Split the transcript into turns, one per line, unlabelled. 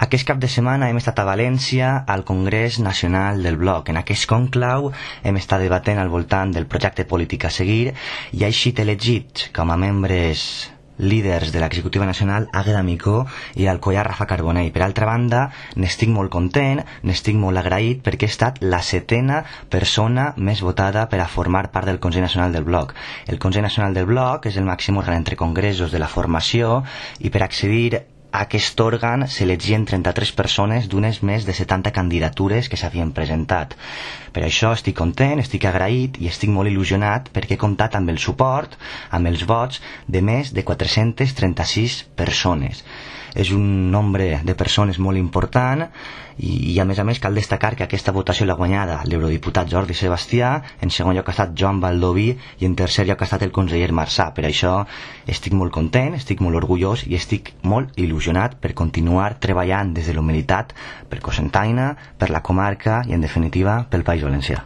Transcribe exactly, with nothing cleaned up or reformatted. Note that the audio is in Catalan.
Aquest cap de setmana hem estat a València al Congrés Nacional del Bloc. En aquest conclau hem estat debatent al voltant del projecte polític a seguir i ha eixit elegit com a membres líders de l'executiva nacional Àgueda Micó i Alcoià Rafa Carbonell. Per altra banda, n'estic molt content, n'estic molt agraït perquè he estat la setena persona més votada per a formar part del Consell Nacional del Bloc. El Consell Nacional del Bloc és el màxim òrgan entre congressos de la formació i per accedir a aquest òrgan s'elegien trenta-tres persones d'unes més de setanta candidatures que s'havien presentat. Per això estic content, estic agraït i estic molt il·lusionat perquè he comptat amb el suport, amb els vots de més de quatre-centes trenta-sis persones. És un nombre de persones molt important i, i a més a més cal destacar que aquesta votació l'ha guanyada l'eurodiputat Jordi Sebastià, en segon lloc ha estat Joan Baldoví i en tercer lloc ha estat el conseller Marsà. Per això estic molt content, estic molt orgullós i estic molt il·lusionat per continuar treballant des de la humilitat per Cocentaina, per la comarca i en definitiva pel País Valencià.